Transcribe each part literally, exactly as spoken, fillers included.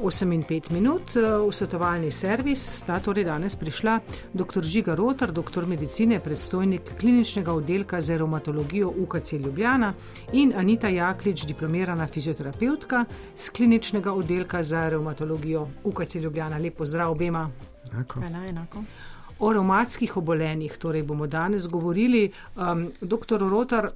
osem in pet minut. V svetovalni servis sta torej danes prišla dr. Žiga Rotar, doktor medicine, predstojnik kliničnega oddelka za revmatologijo U K C Ljubljana in Anita Jaklič, diplomirana fizioterapevtka z kliničnega oddelka za revmatologijo U K C Ljubljana. Lep pozdrav obema. Enako. Hvala, enako. O revmatskih obolenjih torej bomo danes govorili. Um, doktor Rotar,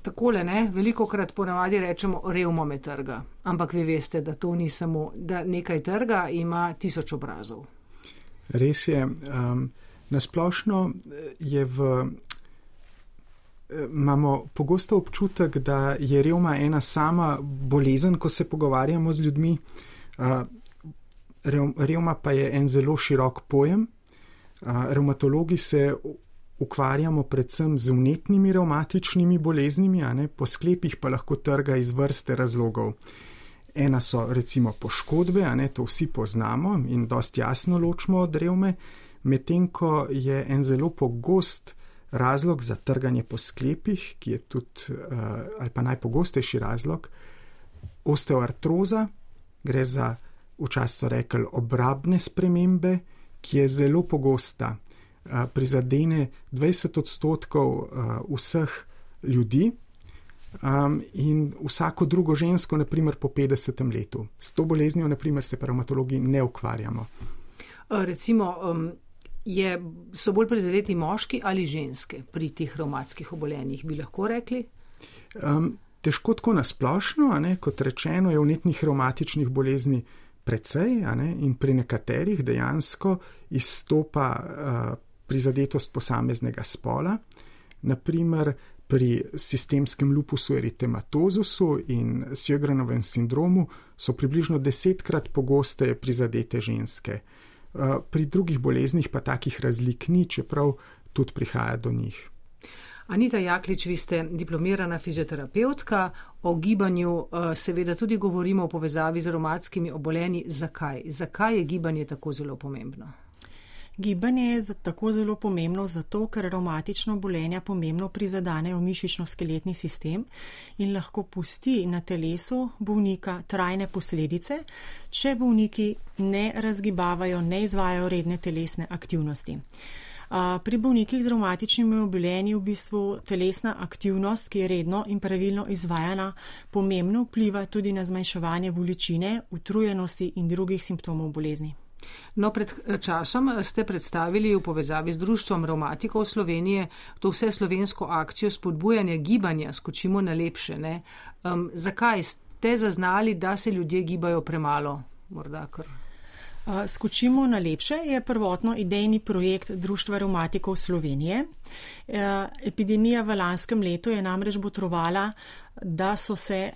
takole, ne, veliko krat ponavadi rečemo revmo me trga, ampak vi veste, da to ni samo, da nekaj trga ima tisoč obrazov. Res je. Um, nasplošno je v, imamo pogosto občutek, da je revma ena sama bolezen, ko se pogovarjamo z ljudmi. Uh, rev, revma pa je en zelo širok pojem. Uh, revmatologi se ukvarjamo predvsem z vnetnimi revmatičnimi boleznimi, a ne, po sklepih pa lahko trga iz vrste razlogov. Ena so recimo poškodbe, a ne, to vsi poznamo in dosti jasno ločimo od revme, medtem ko je en zelo pogost razlog za trganje po sklepih, ki je tudi, ali pa najpogostejši razlog, osteoartroza, gre za, včasih so rekli, obrabne spremembe, ki je zelo pogosta. Prizadene dvajset odstotkov vseh ljudi um, in vsako drugo žensko, naprimer po petdesetem letu. S to boleznijo, naprimer, se pa revmatologi ne ukvarjamo. Recimo, um, je, so bolj prizadeti moški ali ženske pri teh revmatskih obolenjih, bi lahko rekli? Um, težko tako nasplošno, a ne, kot rečeno, je vnetnih revmatičnih bolezni precej, a ne, in pri nekaterih dejansko izstopa uh, prizadetost posameznega spola, naprimer pri sistemskem lupusu eritematozusu in Sjögrenovem sindromu so približno desetkrat pogosteje prizadete ženske. Pri drugih boleznih pa takih razlik ni, čeprav tudi prihaja do njih. Anita Jaklič, vi ste diplomirana fizioterapevtka, o gibanju seveda tudi govorimo v povezavi z revmatskimi obolenji. Zakaj? Zakaj je gibanje tako zelo pomembno? Gibanje je tako zelo pomembno zato, ker revmatična obolenja pomembno prizadanejo mišično-skeletni sistem in lahko pusti na telesu bolnika trajne posledice, če bolniki ne razgibavajo, ne izvajajo redne telesne aktivnosti. Pri bolnikih z revmatičnimi obolenji v bistvu telesna aktivnost, ki je redno in pravilno izvajana, pomembno vpliva tudi na zmanjševanje bolečine, utrujenosti in drugih simptomov bolezni. No, pred časom ste predstavili v povezavi z Društvom revmatikov Slovenije to vse slovensko akcijo spodbujanja gibanja, skočimo na lepše, ne? Um, zakaj ste zaznali, da se ljudje gibajo premalo? Morda kar... Skočimo na lepše je prvotno idejni projekt Društva revmatikov Slovenije. Epidemija v lanskem letu je namreč botrovala, da so se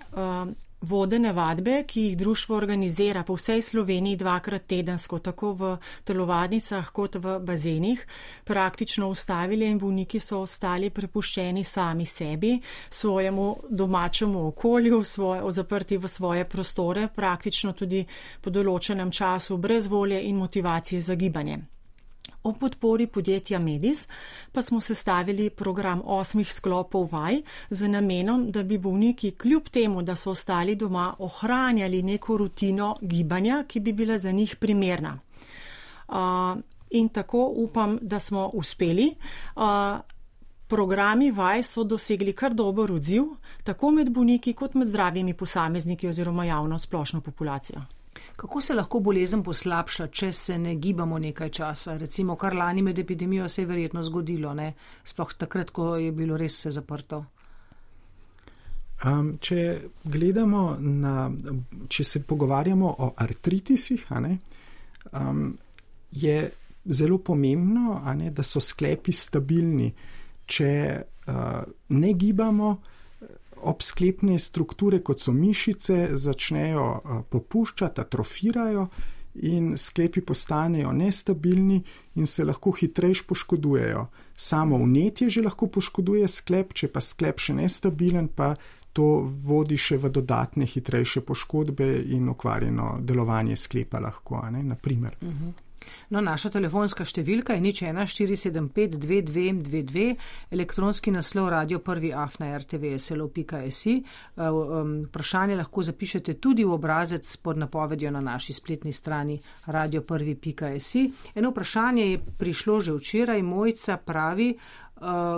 vodene vadbe, ki jih društvo organizira po vsej Sloveniji dvakrat tedensko, tako v telovadnicah kot v bazenih, praktično ustavili in bolniki so ostali prepuščeni sami sebi, svojemu domačemu okolju, svoje, zaprti v svoje prostore, praktično tudi po določenem času brez volje in motivacije za gibanje. O podpori podjetja Medis pa smo sestavili program osmih sklopov vaj z namenom, da bi bolniki kljub temu, da so ostali doma, ohranjali neko rutino gibanja, ki bi bila za njih primerna. Uh, in tako upam, da smo uspeli. Uh, programi vaj so dosegli kar dober odziv, tako med bolniki kot med zdravimi posamezniki oziroma javno splošno populacijo. Kako se lahko bolezen poslabša, če se ne gibamo nekaj časa? Recimo, kar lani med epidemijo se je verjetno zgodilo, ne? Sploh takrat, ko je bilo res vse zaprto. Um, če gledamo na, če se pogovarjamo o artritisih, a ne, um, je zelo pomembno, a ne, da so sklepi stabilni. Če uh, ne gibamo, obsklepne strukture, kot so mišice, začnejo popuščati, atrofirajo in sklepi postanejo nestabilni in se lahko hitrejš poškodujejo. Samo vnetje že lahko poškoduje sklep, če pa sklep še nestabilen, pa to vodi še v dodatne hitrejše poškodbe in okvarjeno delovanje sklepa lahko, a ne, naprimer. Uh-huh. No, naša telefonska številka je nič ena štiri sedem pet dve dve dve dve, elektronski naslov radio prvi afna er te ve es el o pika es i. Vprašanje lahko zapišete tudi v obrazec pod napovedjo na naši spletni strani radio prvi pika es i. Eno vprašanje je prišlo že včeraj. Mojca pravi,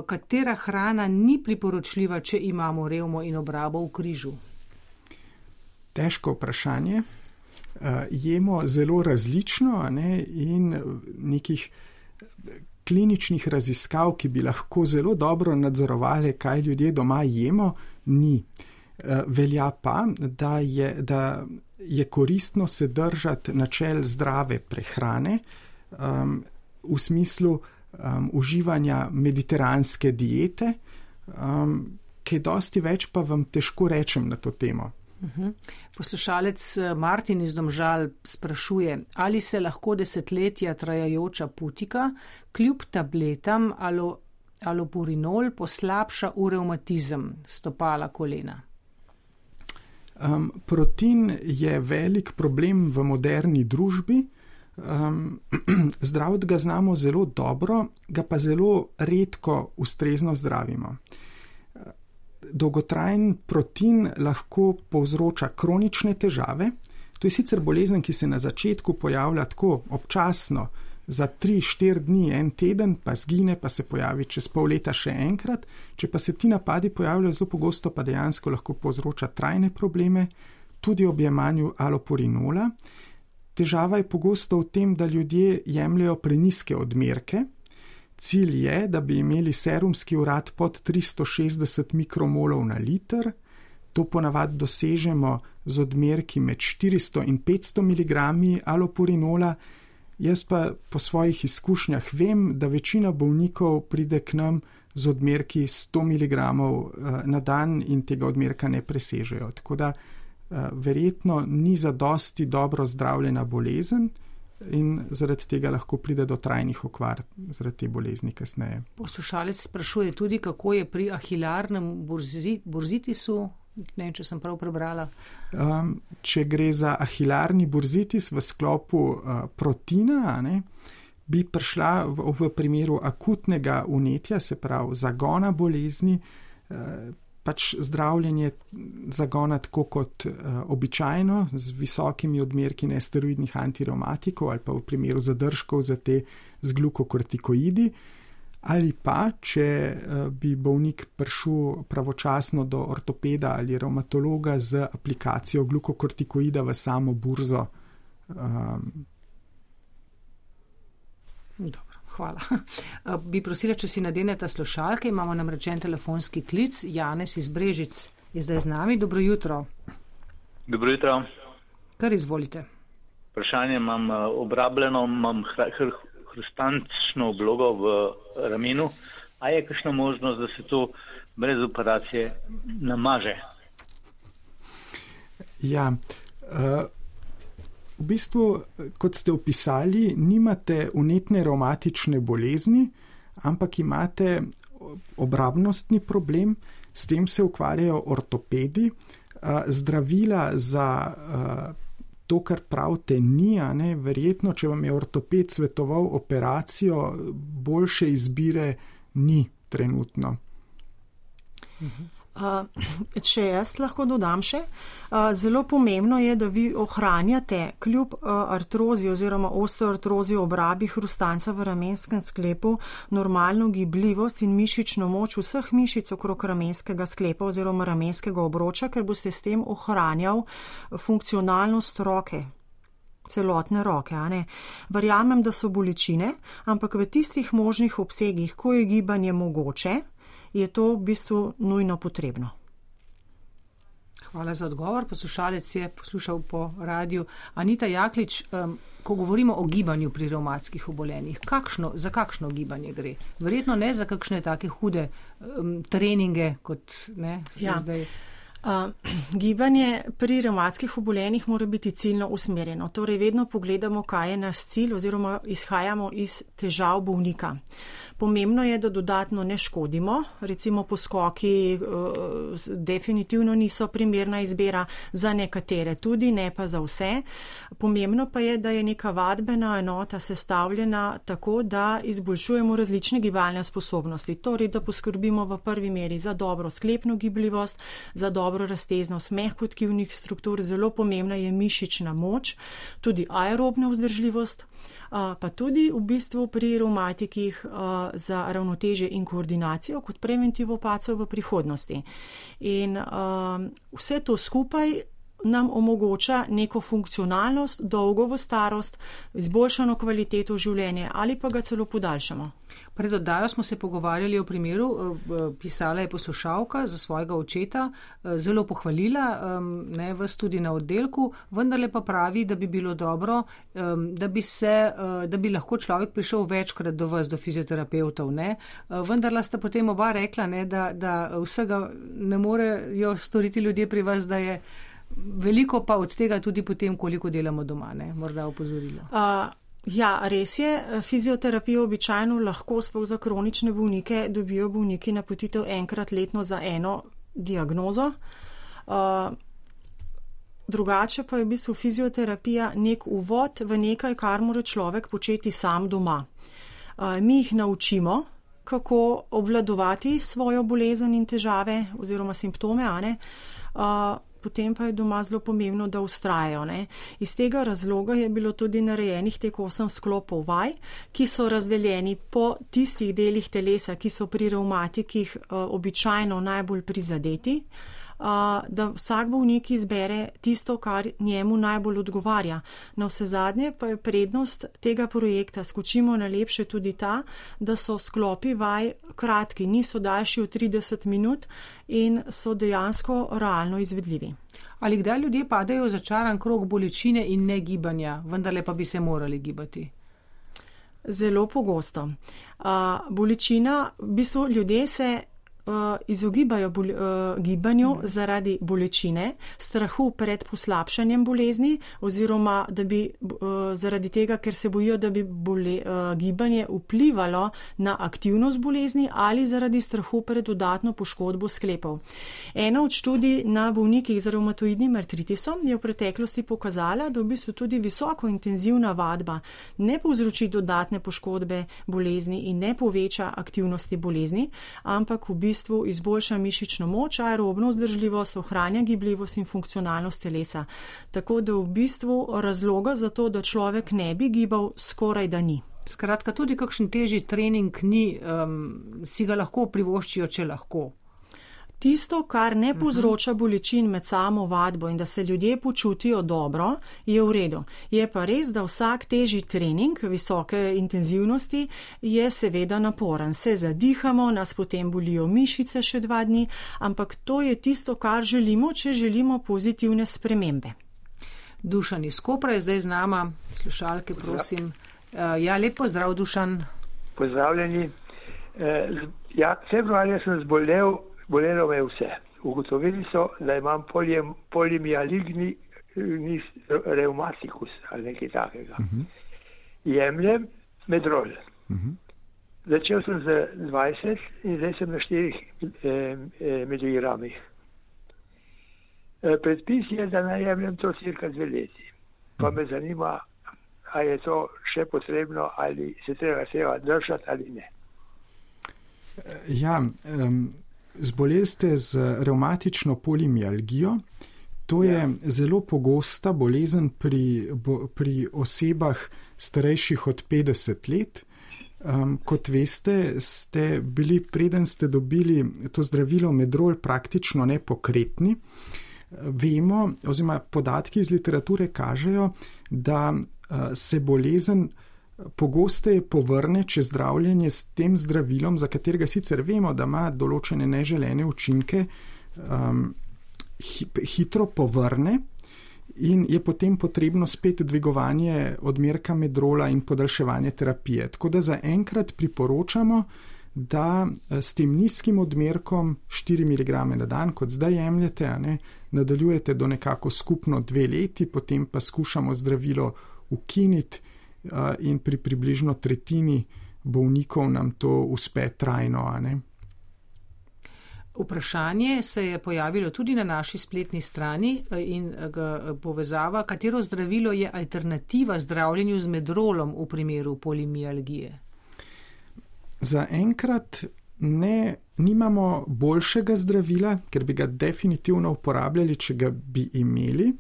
katera hrana ni priporočljiva, če imamo revmo in obrabo v križu? Težko vprašanje. Uh, jemo zelo različno, ne, in nekih kliničnih raziskav, ki bi lahko zelo dobro nadzorovali, kaj ljudje doma jemo, ni. Uh, velja pa, da je, da je koristno se držati načel zdrave prehrane um, v smislu um, uživanja mediteranske diete, um, kaj dosti več pa vam težko rečem na to temo. Poslušalec Martin iz Domžal sprašuje, ali se lahko desetletja trajajoča putika kljub tabletam alo, alopurinol poslabša v revmatizem stopala kolena. Um, protin je velik problem v moderni družbi. Um, zdraviti ga znamo zelo dobro, ga pa zelo redko ustrezno zdravimo. Dolgotrajen protin lahko povzroča kronične težave. To je sicer bolezen, ki se na začetku pojavlja tako občasno, za tri, štiri dni, en teden, pa zgine, pa se pojavi čez pol leta še enkrat. Če pa se ti napadi pojavljajo zelo pogosto, pa dejansko lahko povzroča trajne probleme, tudi ob jemanju alopurinola. Težava je pogosto v tem, da ljudje jemljajo prenizke odmerke. Cilj je, da bi imeli serumski urad pod tristo šestdeset mikromolov na liter. To ponavadi dosežemo z odmerki med štiristo in petsto miligrami alopurinola. Jaz pa po svojih izkušnjah vem, da večina bolnikov pride k nam z odmerki sto miligramov na dan in tega odmerka ne presežejo. Tako da verjetno ni zadosti dobro zdravljena bolezen, in zaradi tega lahko pride do trajnih okvar zaradi te bolezni kasneje. Poslušalec sprašuje tudi, kako je pri ahilarnem burzitisu, ne vem, če sem prav prebrala. Um, če gre za ahilarni burzitis v sklopu uh, protina, ne, bi prišla v, v primeru akutnega vnetja, se pravi zagona bolezni, uh, pač zdravljenje zagona tako kot uh, običajno, z visokimi odmerki nesteroidnih antireumatikov ali pa v primeru zadržkov za te z glukokortikoidi, ali pa, če uh, bi bolnik prišel pravočasno do ortopeda ali revmatologa z aplikacijo glukokortikoida v samo burzo. Um, Dobro. Hvala. Bi prosila, če si nadenete slušalke, imamo namreč en telefonski klic. Janez iz Brežic je zdaj z nami. Dobro jutro. Dobro jutro. Kar izvolite. Vprašanje imam obrabljeno, imam hrustančno oblogo v ramenu. A je kakšna možnost, da se to brez operacije namaže? Ja, uh... v bistvu, kot ste opisali, nimate vnetne revmatične bolezni, ampak imate obrabnostni problem, s tem se ukvarjajo ortopedi. Zdravila za to, kar pravite, ni, a ne, verjetno, če vam je ortoped svetoval operacijo, boljše izbire ni trenutno. Mhm. Uh, če jaz lahko dodam še, uh, zelo pomembno je, da vi ohranjate kljub uh, artrozi oziroma osteoartrozi obrabi hrustanca v ramenskem sklepu normalno gibljivost in mišično moč vseh mišic okrog ramenskega sklepa oziroma ramenskega obroča, ker boste s tem ohranjal funkcionalnost roke. Celotne roke, a ne. Verjamem, da so bolečine, ampak v tistih možnih obsegih, ko je gibanje mogoče, je to v bistvu nujno potrebno. Hvala za odgovor. Poslušalec je poslušal po radiju. Anita Jaklič, um, ko govorimo o gibanju pri revmatskih obolenjih, kakšno, za kakšno gibanje gre? Verjetno ne za kakšne take hude um, treninge, kot ne, ja. zdaj. Uh, gibanje pri revmatskih obolenjih mora biti ciljno usmerjeno. Torej vedno pogledamo, kaj je naš cilj oziroma izhajamo iz težav bolnika. Pomembno je, da dodatno ne škodimo, recimo poskoki uh, definitivno niso primerna izbira za nekatere, tudi ne pa za vse. Pomembno pa je, da je neka vadbena enota sestavljena tako, da izboljšujemo različne gibalne sposobnosti. Torej, da poskrbimo v prvi meri za dobro sklepno gibljivost, za dobro razteznost mehkotkivnih struktur, zelo pomembna je mišična moč, tudi aerobna vzdržljivost, pa tudi v bistvu pri revmatikih za ravnotežje in koordinacijo kot preventivo padcev v prihodnosti. In vse to skupaj nam omogoča neko funkcionalnost, dolgo v starost, izboljšano kvaliteto življenja ali pa ga celo podaljšamo. Pred oddajo smo se pogovarjali o primeru, pisala je poslušalka za svojega očeta, zelo pohvalila, ne, vas tudi na oddelku, vendarle pa pravi, da bi bilo dobro, da bi, se, da bi lahko človek prišel večkrat do vas, do fizioterapevtov. Ne. Vendarla sta potem oba rekla, ne, da, da vsega ne morejo storiti ljudje pri vas, da je veliko pa od tega tudi potem, koliko delamo doma, ne, morda opozorilo. Uh. Ja, res je. Fizioterapijo običajno lahko sploh za kronične bolnike dobijo bolniki napotitev enkrat letno za eno diagnozo. Uh, drugače pa je v bistvu fizioterapija nek uvod v nekaj, kar mora človek početi sam doma. Uh, mi jih naučimo, kako obvladovati svojo bolezen in težave oziroma simptome, a ne? Uh, Potem pa je doma zelo pomembno, da ustrajajo. Ne? Iz tega razloga je bilo tudi narejenih teh osem sklopov vaj, ki so razdeljeni po tistih delih telesa, ki so pri revmatikih uh, običajno najbolj prizadeti, uh, da vsak bolnik izbere tisto, kar njemu najbolj odgovarja. Na vse zadnje pa je prednost tega projekta Skočimo na lepše tudi ta, da so sklopi vaj kratki, niso daljši od trideset minut in so dejansko realno izvedljivi. Ali kdaj ljudje padajo v začaran krog bolečine in ne gibanja, vendarle pa bi se morali gibati? Zelo pogosto. Uh, bolečina, v bistvu ljudje se uh, izogibajo bol, uh, gibanju zaradi bolečine, strahu pred poslabšanjem bolezni oziroma da bi, uh, zaradi tega, ker se bojijo, da bi bole, uh, gibanje vplivalo na aktivnost bolezni ali zaradi strahu pred dodatno poškodbo sklepov. Ena od študij na bolnikih z revmatoidnim artritisom je v preteklosti pokazala, da v bistvu tudi visoko intenzivna vadba ne povzroči dodatne poškodbe bolezni in ne poveča aktivnosti bolezni, ampak v bistvu izboljša mišično moč, aerobno vzdržljivost, ohranja gibljivost in funkcionalnost telesa. Tako da v bistvu razloga za to, da človek ne bi gibal, skoraj da ni. Skratka, tudi kakšen težji trening ni, um, si ga lahko privoščijo, če lahko. Tisto, kar ne povzroča bolečin med samo vadbo in da se ljudje počutijo dobro, je v redu. Je pa res, da vsak težji trening visoke intenzivnosti je seveda naporen. Se zadihamo, nas potem bolijo mišice še dva dni, ampak to je tisto, kar želimo, če želimo pozitivne spremembe. Dušan iz Kopra je zdaj z nama. Slušalke, prosim. Ja, lep pozdrav, Dušan. Pozdravljeni. Ja, februarja sem zbolel, bolelo me vse. Ugotovili so, da imam polimialigni reumatikus ali nekaj takega. Uh-huh. Jemljem medrol. Uh-huh. Začel sem z dvajset in zdaj sem na štirih eh, miligramih. Predpis je, da naj jemljem to cirka dve leti. Pa me zanima, ali je to še potrebno, ali se treba seva držati ali ne. Ja, um, zboleli ste z revmatično polimialgijo. To je ja. zelo pogosta bolezen pri, bo, pri osebah starejših od petdeset let. Um, kot veste, ste bili, preden ste dobili to zdravilo medrol, praktično nepokretni. Vemo, oziroma podatki iz literature kažejo, da uh, se bolezen pogosteje povrne, če zdravljenje s tem zdravilom, za katerega sicer vemo, da ima določene neželene učinke, um, hitro povrne in je potem potrebno spet dvigovanje odmerka medrola in podaljševanje terapije. Tako da zaenkrat priporočamo, da s tem nizkim odmerkom štiri miligrame na dan, kot zdaj jemljete, a ne, nadaljujete do nekako skupno dve leti, potem pa skušamo zdravilo ukiniti in pri približno tretjini bolnikov nam to uspe trajno, a ne. Vprašanje se je pojavilo tudi na naši spletni strani in ga povezava, katero zdravilo je alternativa zdravljenju z medrolom v primeru polimialgije. Za enkrat ne, nimamo boljšega zdravila, ker bi ga definitivno uporabljali, če ga bi imeli.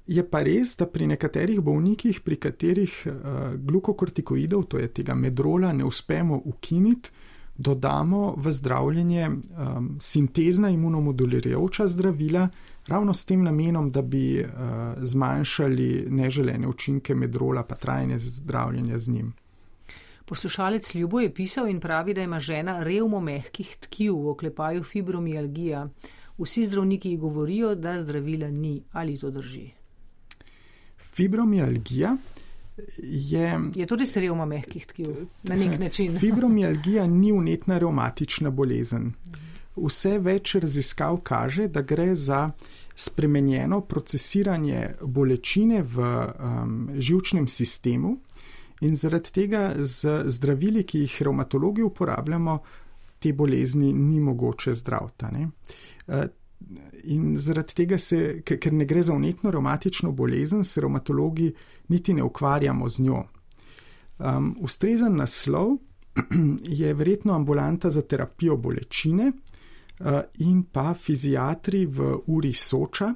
Je pa res, da pri nekaterih bolnikih, pri katerih uh, glukokortikoidov, to je tega medrola, ne uspemo ukiniti, dodamo v zdravljenje um, sintezna imunomodulirajoča zdravila, ravno s tem namenom, da bi uh, zmanjšali neželene učinke medrola pa trajanje zdravljenja z njim. Poslušalec Ljubo je pisal in pravi, da ima žena revmo mehkih tkiv, v oklepaju fibromialgija. Vsi zdravniki govorijo, da zdravila ni. Ali to drži? Fibromialgija je... Je to res revma mehkih tkiv? Na nek način. Fibromialgija ni vnetna revmatična bolezen. Vse več raziskav kaže, da gre za spremenjeno procesiranje bolečine v um, živčnem sistemu, in zaradi tega z zdravili, ki jih revmatologi uporabljamo, te bolezni ni mogoče zdraviti. In zaradi tega se, ker ne gre za vnetno revmatično bolezen, se revmatologi niti ne ukvarjamo z njo. Um, ustrezen naslov je verjetno ambulanta za terapijo bolečine uh, in pa fiziatri v uri Soča.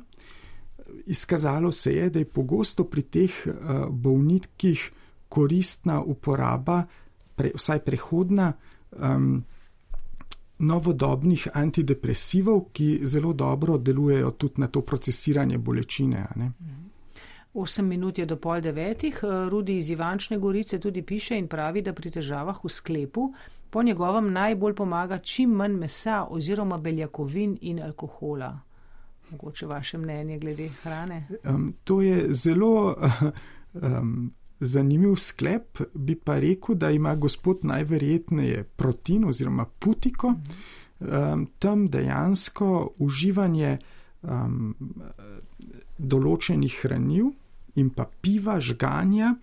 Izkazalo se je, da je pogosto pri teh uh, bolnikih koristna uporaba, pre, vsaj prehodna, um, novodobnih antidepresivov, ki zelo dobro delujejo tudi na to procesiranje bolečine. Ne? Osem minut je do pol devetih. Rudi iz Ivančne Gorice tudi piše in pravi, da pri težavah v sklepu po njegovem najbolj pomaga čim manj mesa oziroma beljakovin in alkohola. Mogoče vaše mnenje glede hrane? Um, to je zelo... Um, Zanimiv sklep, bi pa rekel, da ima gospod najverjetneje protein oziroma putiko, um, tam dejansko uživanje um, določenih hranil in pa piva, žganja,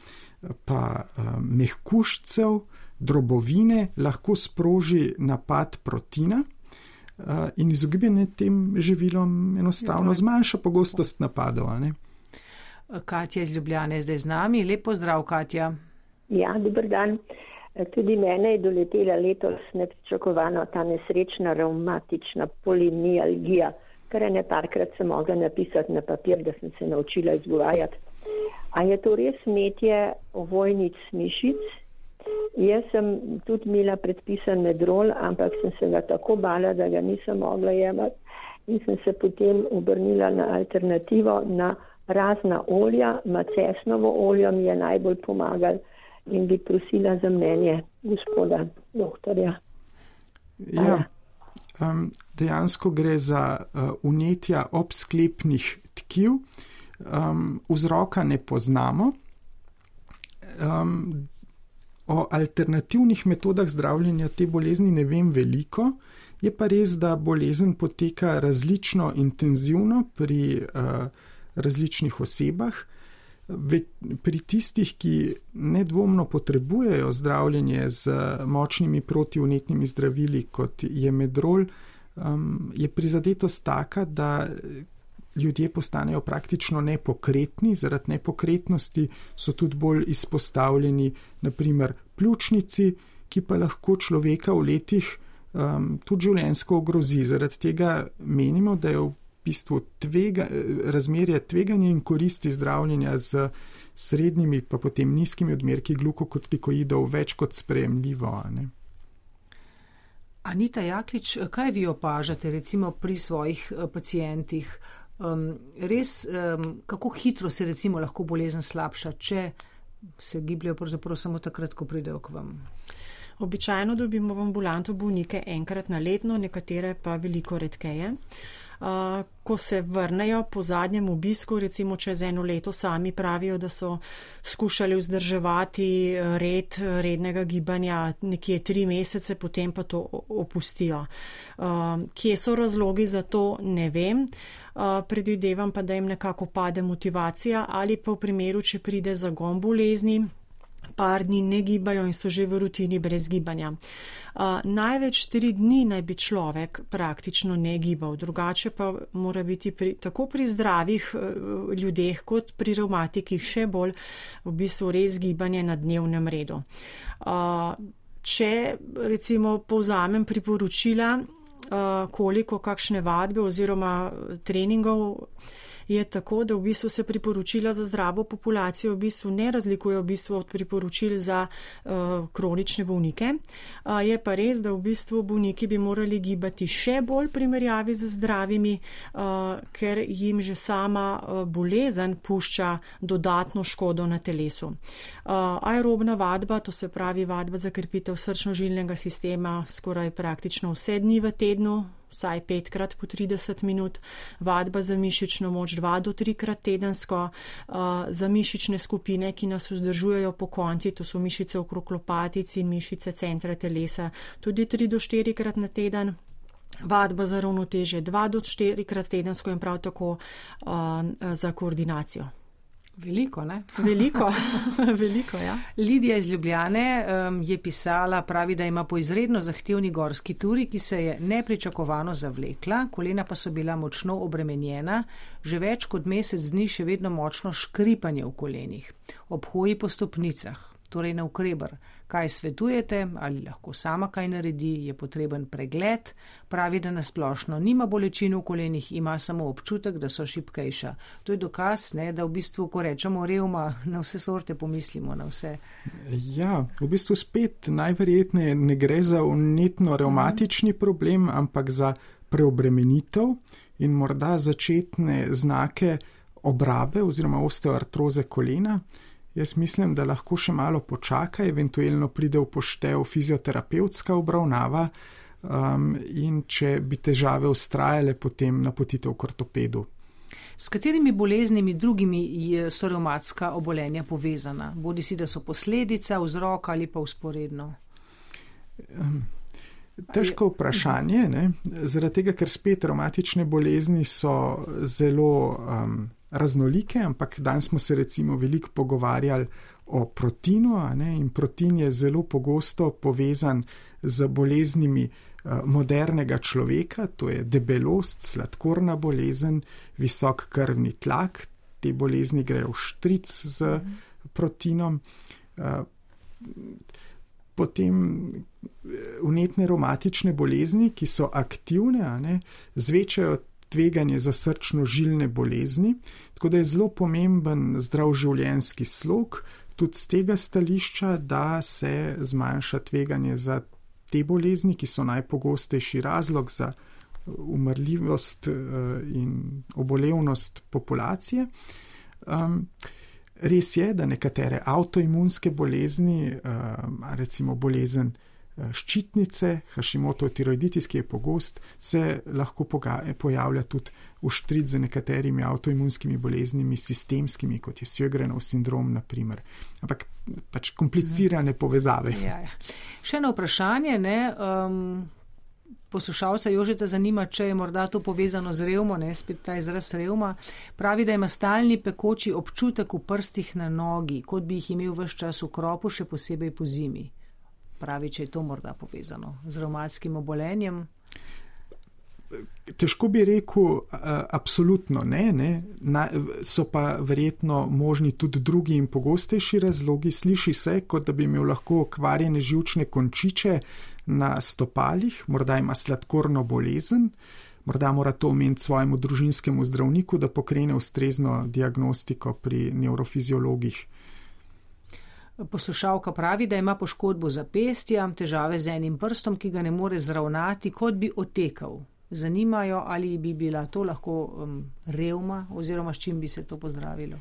pa um, mehkužcev, drobovine lahko sproži napad proteina uh, in izogibanje tem živilom enostavno zmanjša pogostost napadov, a ne? Katja iz Ljubljane je zdaj z nami. Lep pozdrav, Katja. Ja, dober dan. Tudi mene je doletela letos nepričakovano ta nesrečna revmatična polimialgija, kar je neparkrat sem mogla napisati na papir, da sem se naučila izgovarjati. A je to res metje ovojnic mišic? Jaz sem tudi imela predpisan medrol, ampak sem se ga tako bala, da ga nisem mogla jemati in sem se potem obrnila na alternativo, na razna olja, macesnovo oljo mi je najbolj pomagal in bi prosila za mnenje gospoda doktorja. Ja, um, dejansko gre za uh, vnetja obsklepnih tkiv. Um, vzroka ne poznamo. Um, o alternativnih metodah zdravljenja te bolezni ne vem veliko. Je pa res, da bolezen poteka različno intenzivno pri uh, različnih osebah. Pri tistih, ki nedvomno potrebujejo zdravljenje z močnimi protivnetnimi zdravili, kot je medrol, um, je prizadetost taka, da ljudje postanejo praktično nepokretni. Zaradi nepokretnosti so tudi bolj izpostavljeni naprimer pljučnici, ki pa lahko človeka v letih um, tudi življenjsko ogrozi. Zaradi tega menimo, da je v bistvu tvega, razmerje tveganja in koristi zdravljenja z srednjimi pa potem nizkimi odmerki glukokortikoidov več kot sprejemljivo. Ne? Anita Jaklič, kaj vi opažate recimo pri svojih pacijentih? Um, res, um, kako hitro se recimo lahko bolezen slabša, če se gibljajo pravzaprav samo takrat, ko pridejo k vam? Običajno dobimo v ambulanto bolnike enkrat na letno, nekatere pa veliko redkeje. ko se vrnejo po zadnjem obisku, recimo čez eno leto, sami pravijo, da so skušali vzdrževati red rednega gibanja nekje tri mesece, potem pa to opustijo. Kje so razlogi za to, ne vem. Predvidevam pa, da jim nekako pade motivacija ali pa v primeru, če pride zagon bolezni, par dni ne gibajo in so že v rutini brez gibanja. Uh, največ tri dni naj bi človek praktično ne gibal, drugače pa mora biti pri, tako pri zdravih uh, ljudeh kot pri revmatikih še bolj v bistvu res gibanje na dnevnem redu. Uh, če recimo povzamem priporočila, uh, koliko kakšne vadbe oziroma treningov, je tako, da v bistvu se priporočila za zdravo populacijo v bistvu ne razlikujejo v bistvu od priporočil za uh, kronične bolnike. Uh, je pa res, da v bistvu bolniki bi morali gibati še bolj primerjavi z zdravimi, uh, ker jim že sama uh, bolezen pušča dodatno škodo na telesu. Uh, aerobna vadba, to se pravi vadba za krepitev srčno-žilnega sistema, skoraj praktično vse dni v tednu, vsaj petkrat po trideset minut, vadba za mišično moč dva do trikrat tedensko, uh, za mišične skupine, ki nas vzdržujejo po konci, to so mišice okrog lopatic in mišice centra telesa, tudi tri do štirikrat na teden. Vadba za ravnotežje dva do štirikrat tedensko in prav tako uh, za koordinacijo. Veliko, ne? Veliko, veliko, ja. Lidija iz Ljubljane um, je pisala, pravi, da ima po izredno zahtevni gorski turi, ki se je nepričakovano zavlekla, kolena pa so bila močno obremenjena, že več kot mesec dni še vedno močno škripanje v kolenih, ob hoji po stopnicah, torej na ukreber. Kaj svetujete, ali lahko sama kaj naredi, je potreben pregled, pravi, da nasplošno nima bolečin v kolenih, ima samo občutek, da so šibkejša. To je dokaz, ne, da v bistvu, ko rečemo revma, na vse sorte pomislimo, na vse. Ja, v bistvu spet najverjetneje ne gre za vnetno revmatični problem, ampak za preobremenitev in morda začetne znake obrabe oziroma osteoartroze kolena. Jaz mislim, da lahko še malo počaka, eventualno pride v poštev fizioterapevtska obravnava um, in če bi težave ustrajale, potem napotitev k ortopedu. S katerimi boleznimi drugimi so revmatska obolenja povezana? Bodi si, da so posledica, vzrok ali pa vzporedno? Um, težko vprašanje, ne? Zaradi tega, ker spet revmatične bolezni so zelo um, raznolike, ampak danes smo se recimo veliko pogovarjali o protinu, a ne, in protin je zelo pogosto povezan z boleznimi uh, modernega človeka, to je debelost, sladkorna bolezen, visok krvni tlak, te bolezni grejo v štric z mhm. protinom. Uh, potem vnetne revmatične bolezni, ki so aktivne, a ne, zvečajo tveganje za srčno-žilne bolezni, tako da je zelo pomemben zdrav življenjski slog, tudi z tega stališča, da se zmanjša tveganje za te bolezni, ki so najpogostejši razlog za umrljivost in obolevnost populacije. Um, res je, da nekatere avtoimunske bolezni, um, recimo bolezen ščitnice, Hashimotov tiroiditis, ki je pogost, se lahko pojavlja tudi v štric z nekaterimi avtoimunskimi boleznimi, sistemskimi, kot je Sjögrenov sindrom, na primer. Ampak pač komplicirane povezave. Ja, ja. Še eno vprašanje, ne, um, poslušalca Jožeta zanima, če je morda to povezano z revmo, ne, spet ta izraz revma. Pravi, da ima stalni pekoči občutek v prstih na nogi, kot bi jih imel ves čas v kropu, še posebej po zimi. Pravi, če je to morda povezano z revmatskim obolenjem? Težko bi rekel, absolutno ne, ne. Na, so pa verjetno možni tudi drugi in pogostejši razlogi. Sliši se, kot da bi imel lahko okvarjene živčne končiče na stopalih, morda ima sladkorno bolezen, morda mora to omeniti svojemu družinskemu zdravniku, da pokrene ustrezno diagnostiko pri nevrofiziologih. Poslušalka pravi, da ima poškodbo zapestja, težave z enim prstom, ki ga ne more zravnati, kot bi otekal. Zanimajo, ali bi bila to lahko um, revma oziroma s čim bi se to pozdravilo?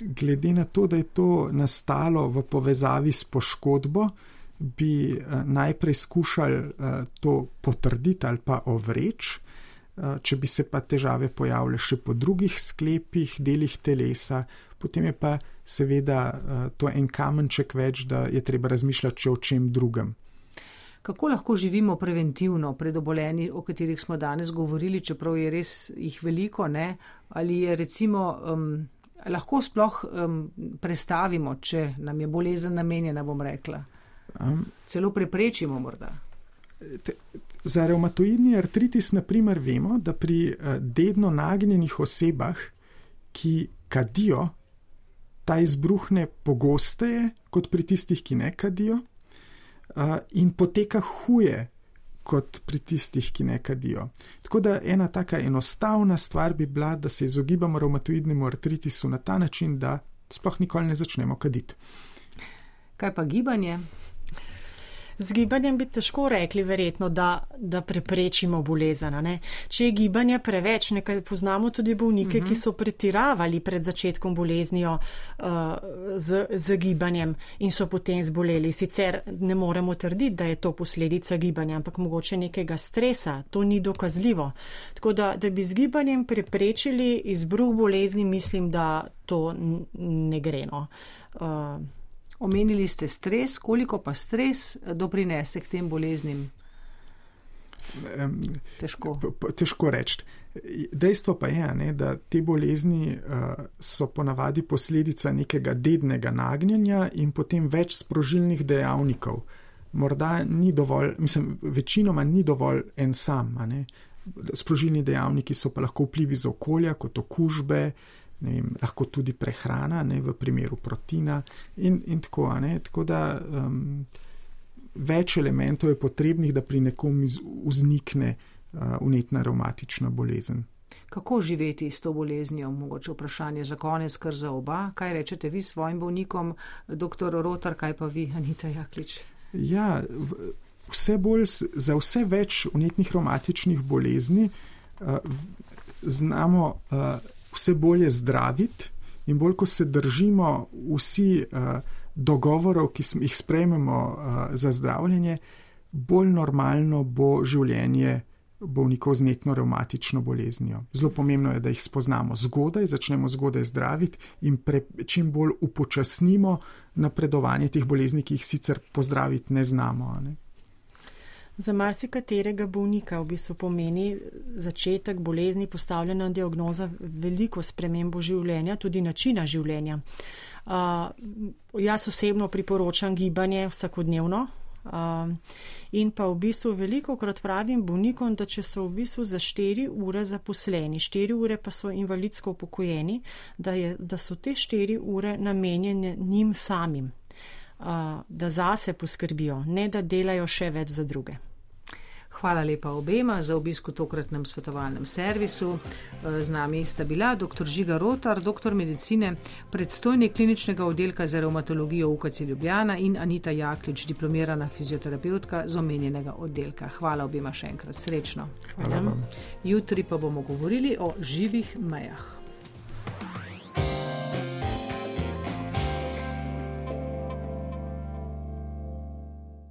Glede na to, da je to nastalo v povezavi s poškodbo, bi uh, najprej skušali uh, to potrditi ali pa ovreči. če bi se pa težave pojavile še po drugih sklepih, delih telesa, potem je pa seveda to en kamenček več, da je treba razmišljati še o čem drugem. Kako lahko živimo preventivno pred obolenji, o katerih smo danes govorili, čeprav je res jih veliko, ne? Ali je recimo, um, lahko sploh um, prestavimo, če nam je bolezen namenjena, bom rekla. Um, Celo preprečimo morda. Te, za revmatoidni artritis, na primer, vemo, da pri uh, dedno nagnjenih osebah, ki kadijo, ta izbruhne pogosteje kot pri tistih, ki ne kadijo. Uh, in poteka huje kot pri tistih, ki ne kadijo. Tako da ena taka enostavna stvar bi bila, da se izogibamo revmatoidnemu artritisu na ta način, da sploh nikoli ne začnemo kaditi. Kaj pa gibanje? Z gibanjem bi težko rekli verjetno, da, da preprečimo bolezen. Ne? Če je gibanje preveč, nekaj poznamo tudi bolnike, uh-huh. ki so pretiravali pred začetkom boleznijo uh, z, z gibanjem in so potem zboleli. Sicer ne moremo trditi, da je to posledica gibanja, ampak mogoče nekega stresa, to ni dokazljivo. Tako da, da bi z gibanjem preprečili izbruh bolezni, mislim, da to n- ne gre. No. Uh, Omenili ste stres, koliko pa stres doprinese k tem boleznim? Težko. Težko reči. Dejstvo pa je, ne, da te bolezni uh, so ponavadi posledica nekega dednega nagnjenja in potem več sprožilnih dejavnikov. Morda ni dovolj, mislim, večinoma ni dovolj en sam. Ne. Sprožilni dejavniki so pa lahko vplivi z okolja, kot okužbe, ne vem, lahko tudi prehrana, ne, v primeru proteina in, in tako, ne, tako da um, več elementov je potrebnih, da pri nekom vznikne uh, vnetna revmatična bolezen. Kako živeti s to boleznijo? Mogoče vprašanje za konec, kar za oba. Kaj rečete vi svojim bolnikom, doktor Rotar, kaj pa vi, Anita Jaklič? Ja, vse bolj, za vse več vnetnih revmatičnih bolezni uh, znamo uh, vse bolje zdraviti in bolj, ko se držimo vsi uh, dogovorov, ki smo jih sprejmemo uh, za zdravljenje, bolj normalno bo življenje bolnikov z vnetno revmatično boleznijo. Zelo pomembno je, da jih spoznamo zgodaj, začnemo zgodaj zdraviti in pre, čim bolj upočasnimo napredovanje teh bolezni, ki jih sicer pozdraviti ne znamo. Ne? Za marsikaterega bolnika v bistvu pomeni začetek bolezni, postavljena diagnoza, veliko spremembo življenja, tudi načina življenja. Uh, jaz osebno priporočam gibanje vsakodnevno uh, in pa v bistvu veliko krat pravim bolnikom, da če so v bistvu za štiri ure zaposleni, štiri ure pa so invalidsko upokojeni, da, je, da so te štiri ure namenjene njim samim. Da zase poskrbijo, ne da delajo še več za druge. Hvala lepa obema za obisk v tokratnem svetovalnem servisu. Z nami sta bila doktor Žiga Rotar, doktor medicine, predstojnik kliničnega oddelka za revmatologijo U K C Ljubljana in Anita Jaklič, diplomirana fizioterapeutka z omenjenega oddelka. Hvala obema še enkrat. Srečno. Hvala vam. Jutri pa bomo govorili o živih mejah.